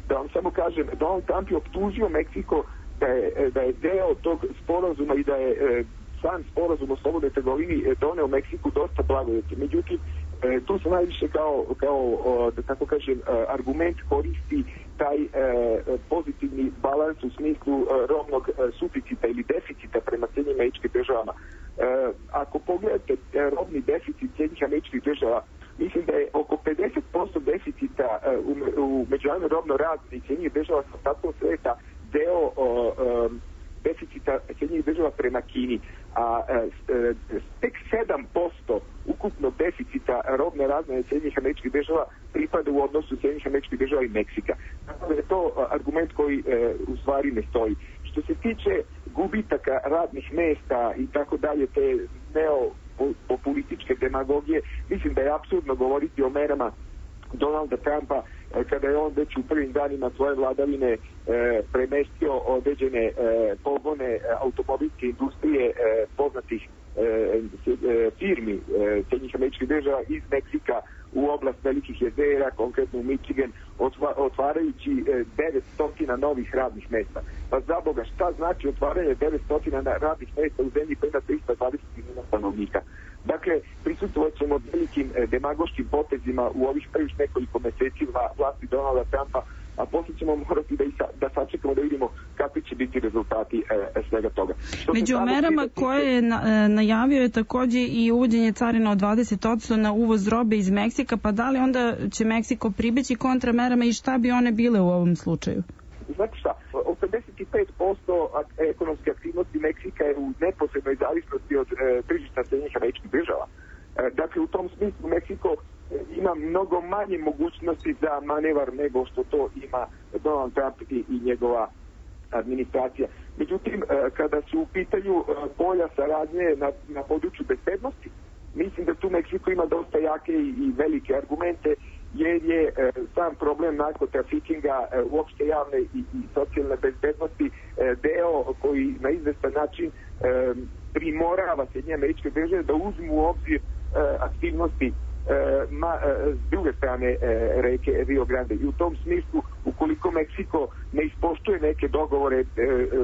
Da vam samo kažem, Donald Trump je optužio Meksiko da je, da je deo tog sporazuma i da je sam sporazum o slobodnoj trgovini doneo Meksiku dosta blagodeti. Međutim, tu se najviše kao, kao da tako kažem, argument koristi taj pozitivni balans u smislu robnog suficita ili deficita prema Sjedinjenim Američkim Državama. Ako pogledate robni deficit Sjedinjenih Američkih Država, mislim da je oko pedeset posto deficita u, u međunarodnoj robnoj razmjeni Sjedinjenih Država sa ostatkom sveta deo deficita Sjedinjenih Država prema Kini, a tek sedam posto ukupnog deficita robne razmjene Sjedinjenih Američkih Država pripada u odnosu Sjedinjenih Američkih Država i Meksika. Tako da je to argument koji u stvari ne stoji. Što se tiče gubitaka radnih mesta i tako dalje, te neopopulističke demagogije, mislim da je apsurdno govoriti o merama Donalda Trumpa kada je on već u prvim danima svoje vladavine e, premestio određene e, pogone automobilske industrije e, poznatih e, e, firmi e, Sjedinjenih Američkih Država iz Meksika u oblast Velikih jezera, konkretno u Michigan, otva, otvarajući e, devetsto novih radnih mesta. Pa za Boga, šta znači otvaranje devetsto radnih mesta u zemlji koja ima trista dvadeset miliona stanovnika? Dakle, prisutovat ćemo velikim e, demagoškim potezima u ovih prvih nekoliko meseci vlasti Donalda Trumpa, a poslije ćemo morati da, sa, da sačekamo da vidimo kakvi će biti rezultati e, svega toga. Što Među merama tiče... koje je na, najavio je takođe i uvođenje carina od dvadeset posto na uvoz robe iz Meksika, pa da li onda će Meksiko pribeći kontramerama i šta bi one bile u ovom slučaju? Znate šta, osamdeset pet posto ekonomske aktivnosti Meksika je u neposrednoj zavisnosti od e, tržišta Sjedinjenih Američkih Država. E, dakle, u tom smislu Meksiko ima mnogo manje mogućnosti za manevar nego što to ima Donald Trump i, i njegova administracija. Međutim, e, kada su u pitanju e, polja saradnje na, na području bezbednosti, mislim da tu Meksiko ima dosta jake i, i velike argumente, jer je e, sam problem narkotrafikinga, e, uopšte javne i, i socijalne bezbednosti e, deo koji na izvestan način e, primorava Sjedinjene Američke Države da uzmu u obzir e, aktivnosti e, ma, e, s druge strane e, reke Rio Grande. I u tom smislu, ukoliko Meksiko ne ispoštuje neke dogovore e,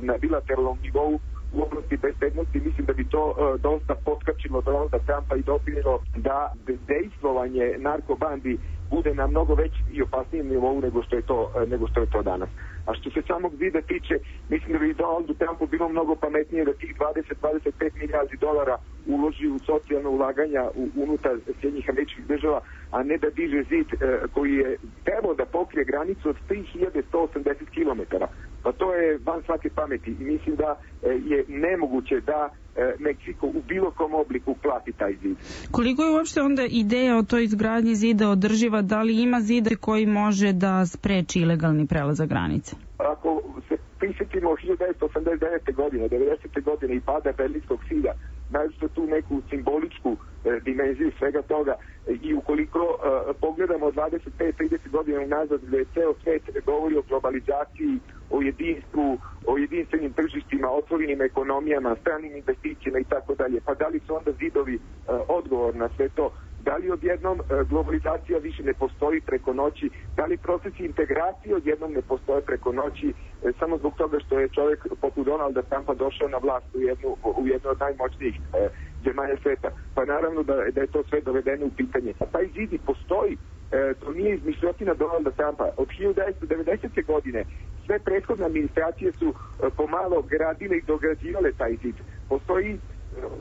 na bilateralnom nivou u oblasti bezbednosti, mislim da bi to e, dosta potkačilo Donalda Trumpa i doprinjelo da dejstvovanje narkobandi bude na mnogo veći i opasnijem nivou nego što je to, nego što je to danas. A što se samog zida tiče, mislim da bi Donaldu Trumpu bilo mnogo pametnije da tih dvadeset do dvadeset pet milijardi dolara uloži u socijalno ulaganja u, unutar Sjedinjenih Američkih Država, a ne da diže zid e, koji je trebao da pokrije granicu od tri hiljade sto osamdeset kilometara. Pa to je van svake pameti i mislim da e, je nemoguće da e, Meksiko u bilo kom obliku plati taj zid. Koliko je uopšte onda ideja o toj izgradnji zida održiva? Da li ima zid koji može da spreči ilegalni prelazak granice? Ako se prisjetimo hiljadu devetsto osamdeset devete. godine, devedesete. godine i pada Berlinskog zida, nađete tu neku simboličku e, dimenziju svega toga i ukoliko e, pogledamo dvadeset pet do trideset godina unazad gde je ceo svet govori o globalizaciji, o jedinstvu, o jedinstvenim tržištima, otvorenim ekonomijama, stranim investicijama i tako dalje, pa da li su onda zidovi e, odgovor na sve to? Da li odjednom globalizacija više ne postoji preko noći? Da li procesi integracije odjednom ne postoje preko noći samo zbog toga što je čovjek poput Donalda Trumpa došao na vlast u jednu, u jednu od najmoćnijih e, zemalja sveta? Pa naravno da, da je to sve dovedeno u pitanje. A taj zid i postoji. E, to nije izmišljotina Donalda Trumpa. Od hiljadu devetsto devedesete. godine sve prethodne administracije su e, pomalo gradile i dograđivale taj zid. Postoji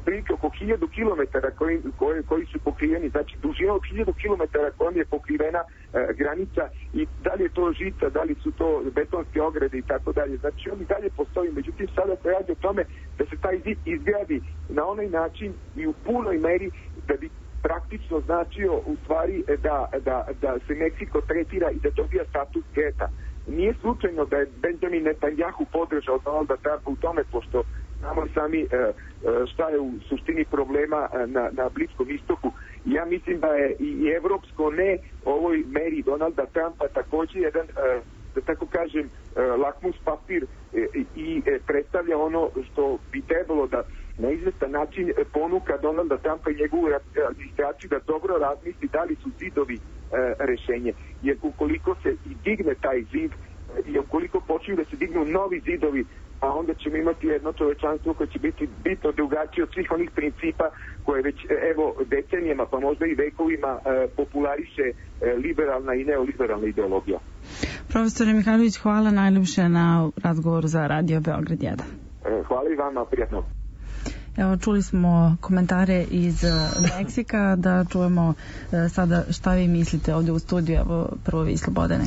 prilike oko hiljadu kilometara koji, koji, koji su pokriveni, znači dužina od hiljadu kilometara kojom je pokrivena e, granica i da li je to žica, da li su to betonske ograde i tako dalje. Znači oni dalje postoji, međutim sada se radi o tome da se taj zid izgradi na onaj način i u punoj meri da bi praktično značio u stvari da, da, da se Meksiko tretira i da dobija status geta. Nije slučajno da je Benjamin Netanyahu podržao Donalda Trumpa u tome, pošto znamo sami e, šta je u suštini problema na, na Bliskom istoku. Ja mislim da je i evropsko ne ovoj meri Donalda Trumpa također jedan, e, da tako kažem, e, lakmus papir e, i e, predstavlja ono što bi trebalo da na izvestan način ponuka Donalda Trumpa i njegovu administraciju da dobro razmisli da li su zidovi e, rešenje. Jer ukoliko se i digne taj zid i ukoliko počinju da se dignu novi zidovi, a onda ćemo imati jedno čovečanstvo koje će biti bitno drugačije od svih onih principa koje već evo decenijama pa možda i vekovima e, populariše e, liberalna i neoliberalna ideologija. Profesore Mihajlović, hvala najljepše na razgovoru za Radio Beograd jedan. E, hvala i vama, prijatno. Evo, čuli smo komentare iz Meksika, da čujemo sada šta vi mislite ovdje u studiju. Evo, prvo vi, Slobodane.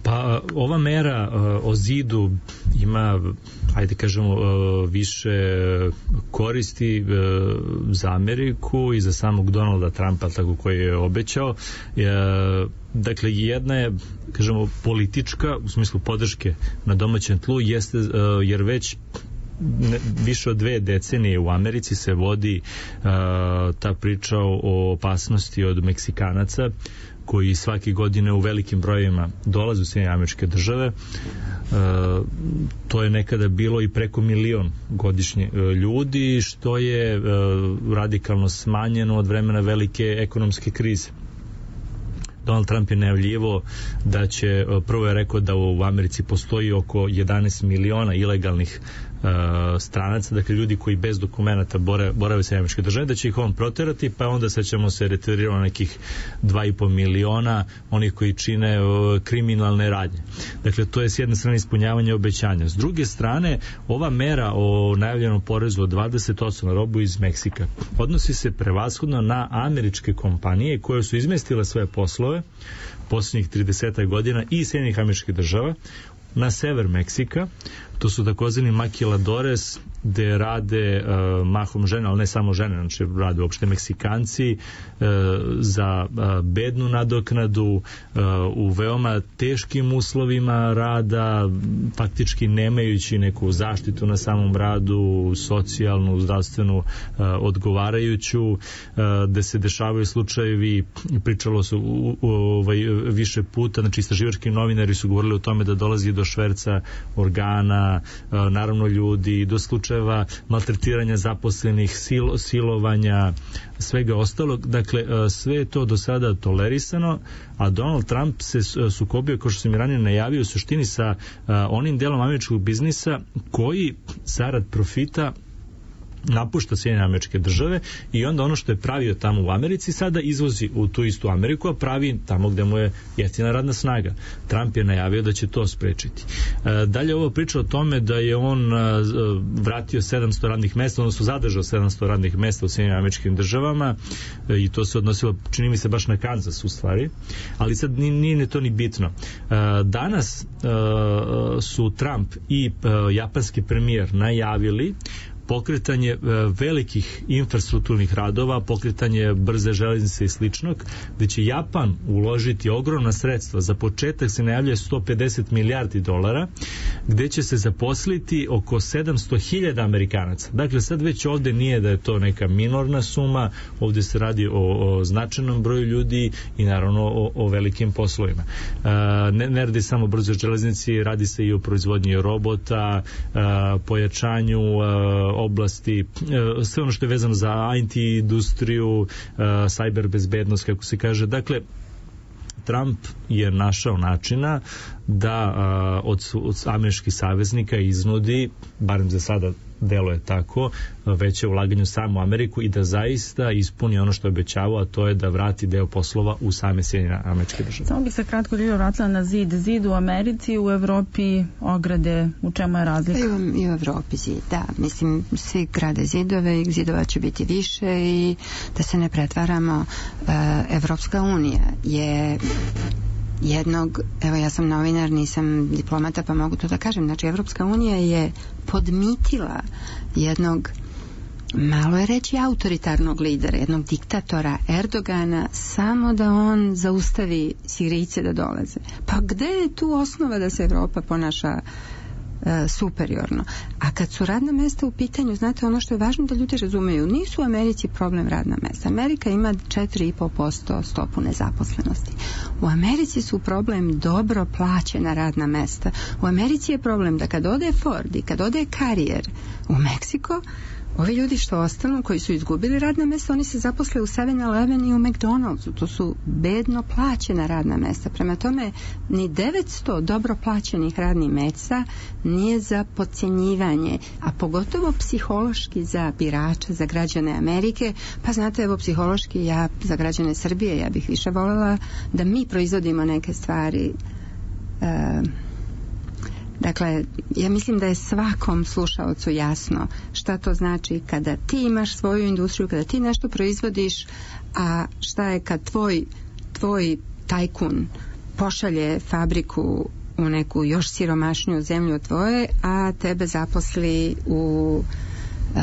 Pa ova mera o zidu ima, ajde kažemo, više koristi za Ameriku i za samog Donalda Trumpa, tako koji je obećao. Dakle, jedna je, kažemo, politička, u smislu podrške na domaćem tlu, jeste, jer već više od dve decenije u Americi se vodi uh, ta priča o opasnosti od Meksikanaca koji svake godine u velikim brojevima dolaze u Sjedinjene Američke Države. Uh, to je nekada bilo i preko milion godišnje uh, ljudi, što je uh, radikalno smanjeno od vremena velike ekonomske krize. Donald Trump je najavljivo da će, prvo je rekao da u Americi postoji oko jedanaest miliona ilegalnih uh, stranaca, dakle ljudi koji bez dokumenata bore, borave u Sjedinjene Američke Države, da će ih on proterati, pa onda sad ćemo se retirirati nekih dva i po miliona onih koji čine uh, kriminalne radnje. Dakle, to je s jedne strane ispunjavanje obećanja. S druge strane, ova mera o najavljenom porezu od dvadeset posto na robu iz Meksika odnosi se prevashodno na američke kompanije koje su izmestile svoje poslove posljednjih trideset godina i Sjedinjenih Američkih Država na sever Meksika. To su takozvani maquiladores, gde rade uh, mahom žene, ali ne samo žene, znači rade uopšte Meksikanci uh, za uh, bednu nadoknadu, uh, u veoma teškim uslovima rada, faktički nemajući neku zaštitu na samom radu, socijalnu, zdravstvenu, uh, odgovarajuću, uh, gde se dešavaju slučajevi, pričalo su u, u, ovaj, više puta, znači istraživački novinari su govorili o tome da dolazi do šverca organa, naravno ljudi, do slučajeva maltretiranja zaposlenih, silo, silovanja, svega ostalog. Dakle, sve je to do sada tolerisano, a Donald Trump se sukobio, kao što sam i ranije najavio, u suštini sa onim delom američkog biznisa koji zarad profita napušta Sjedinjene Američke Države i onda ono što je pravio tamo u Americi sada izvozi u tu istu Ameriku, a pravi tamo gde mu je jeftina radna snaga. Trump je najavio da će to sprečiti. E, dalje ovo priča o tome da je on a, vratio sedamsto radnih mesta, odnosno zadržao sedamsto radnih mesta u Sjedinjenim Američkim Državama e, i to se odnosilo, čini mi se, baš na Kansas u stvari, ali sad nije, nije to ni bitno. E, danas e, su Trump i e, japanski premijer najavili pokretanje e, velikih infrastrukturnih radova, pokretanje brze železnice i sličnog, gde će Japan uložiti ogromna sredstva. Za početak se najavljuje sto pedeset milijardi dolara, gde će se zaposliti oko sedamsto hiljada Amerikanaca. Dakle, sad već ovde nije da je to neka minorna suma, ovde se radi o, o značajnom broju ljudi i naravno o, o velikim poslovima. E, ne, ne radi samo brzo železnici, radi se i o proizvodnji robota, e, pojačanju e, oblasti, sve ono što je vezano za I T industriju, cyber bezbednost, kako se kaže. Dakle, Trump je našao načina da od, od američkih saveznika iznudi, barem za sada delo je tako, veće ulaganje u samu Ameriku i da zaista ispuni ono što je obećavao, a to je da vrati deo poslova u same Sjedinjene Američke Države. Samo bih se kratko Ljiljana vratila na zid. Zid u Americi, u Evropi ograde, u čemu je razlika? I u, i u Evropi zid, da. Mislim, svi grade zidove i zidova će biti više i da se ne pretvaramo, Evropska unija je jednog, evo ja sam novinar, nisam diplomata, pa mogu to da kažem, znači Evropska unija je podmitila jednog, malo je reći, autoritarnog lidera, jednog diktatora Erdogana, samo da on zaustavi Sirijce da dolaze. Pa gde je tu osnova da se Evropa ponaša superiorno? A kad su radna mesta u pitanju, znate, ono što je važno da ljudi razumeju, nisu u Americi problem radna mesta. Amerika ima četiri i po posto stopu nezaposlenosti. U Americi su problem dobro plaćena radna mesta. U Americi je problem da kad ode Ford i kad ode Carrier u Meksiko, Ovi ljudi što ostanu, koji su izgubili radna mesta, oni se zaposle u seven eleven i u McDonald'su. To su bedno plaćena radna mesta. Prema tome, ni devetsto dobro plaćenih radnih mesta nije za podcjenjivanje, a pogotovo psihološki za birača, za građane Amerike. Pa znate, evo, psihološki ja za građane Srbije, ja bih više voljela da mi proizvodimo neke stvari. E, dakle, ja mislim da je svakom slušaocu jasno šta to znači kada ti imaš svoju industriju, kada ti nešto proizvodiš, a šta je kad tvoj, tvoj tajkun pošalje fabriku u neku još siromašniju zemlju od tvoje, a tebe zaposli u uh,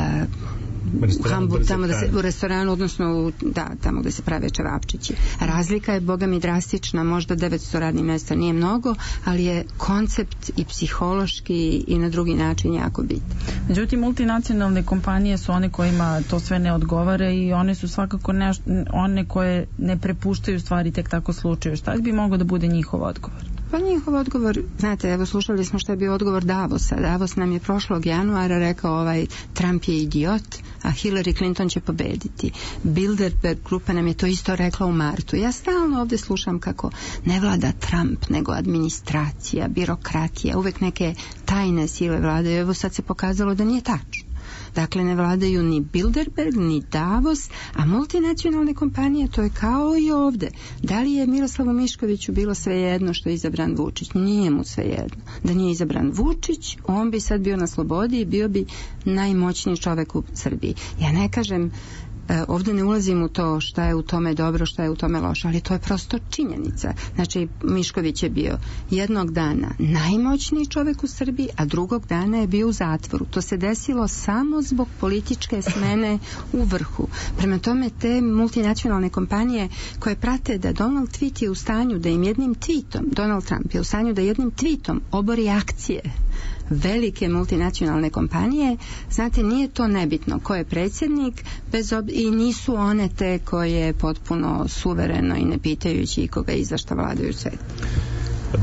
u, Hambu, tamo da se, u restoranu, odnosno u, da, tamo gde se prave čevapčići. Razlika je, boga mi, drastična, možda devetsto radnih mesta nije mnogo, ali je koncept i psihološki i na drugi način jako bitan. Međutim, multinacionalne kompanije su one kojima to sve ne odgovara i one su svakako ne, one koje ne prepuštaju stvari tek tako slučaju. Šta bi mogao da bude njihov odgovor? Pa njihov odgovor, znate, evo slušali smo što je bio odgovor Davosa. Davos nam je prošlog januara rekao ovaj Trump je idiot, a Hillary Clinton će pobediti. Bilderberg grupa nam je to isto rekla u martu. Ja stalno ovdje slušam kako ne vlada Trump, nego administracija, birokratija, uvek neke tajne sile vladaju. Evo sad se pokazalo da nije tačno. Dakle, ne vladaju ni Bilderberg, ni Davos, a multinacionalne kompanije, to je kao i ovde. Da li je Miroslavu Miškoviću bilo svejedno što je izabran Vučić? Nije mu svejedno. Da nije izabran Vučić, on bi sad bio na slobodi i bio bi najmoćniji čovek u Srbiji. Ja ne kažem, ovdje ne ulazim u to šta je u tome dobro, šta je u tome loše, ali to je prosto činjenica. Znači, Mišković je bio jednog dana najmoćniji čovjek u Srbiji, a drugog dana je bio u zatvoru. To se desilo samo zbog političke smene u vrhu. Prema tome, te multinacionalne kompanije koje prate da Donald Tweet je u stanju da im jednim tweetom, Donald Trump je u stanju da jednim tweetom obori akcije velike multinacionalne kompanije, znate, nije to nebitno ko je predsjednik, bez ob... i nisu one te koje potpuno suvereno i ne pitajući koga i za šta vladaju svijet.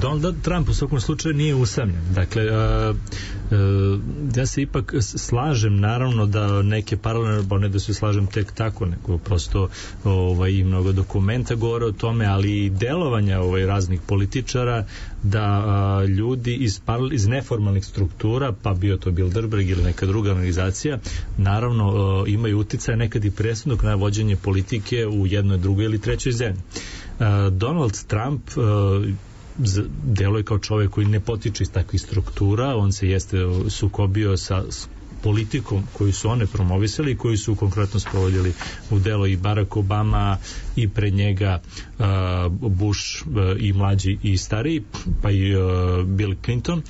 Donald Trump u svakom slučaju nije usamljen. Dakle, uh, uh, ja se ipak slažem, naravno, da neke paralelne, ne da se slažem tek tako, nego prosto ovaj, i mnogo dokumenta govore o tome, ali i delovanja ovaj, raznih političara, da uh, ljudi iz, paral, iz neformalnih struktura, pa bio to Bilderberg ili neka druga organizacija, naravno uh, imaju uticaj nekad i presudnog na vođenje politike u jednoj, drugoj ili trećoj zemlji. Uh, Donald Trump uh, deluje kao čovjek koji ne potiče iz takvih struktura, on se jeste sukobio sa politikom koju su one promovisali i koju su konkretno sprovodili u delo i Barack Obama i pred njega uh, Bush uh, i mlađi i stariji, pa i uh, Bill Clinton.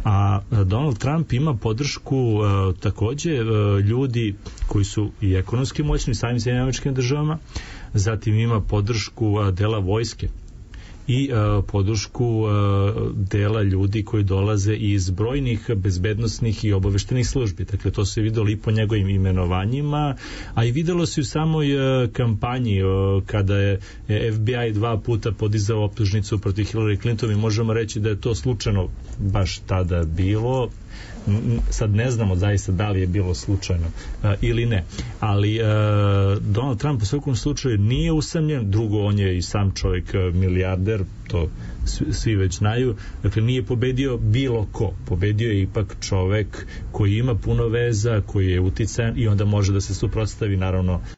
A Donald Trump ima podršku uh, takođe uh, ljudi koji su i ekonomski moćni samim Sjedinjenim Američkim Državama, zatim ima podršku uh, dela vojske i uh, podršku uh, dela ljudi koji dolaze iz brojnih bezbednosnih i obaveštenih službi. Dakle, to se videlo i po njegovim imenovanjima, a i videlo se u samoj uh, kampanji uh, kada je F B I dva puta podizao optužnicu protiv Hillary Clinton i možemo reći da je to slučajno baš tada bilo. Sad ne znamo zaista da li je bilo slučajno uh, ili ne, ali uh, Donald Trump u svakom slučaju nije usamljen. Drugo, on je i sam čovjek uh, milijarder, to svi, svi već znaju. Dakle, nije pobedio bilo ko, pobedio je ipak čovjek koji ima puno veza, koji je uticajan i onda može da se suprotstavi naravno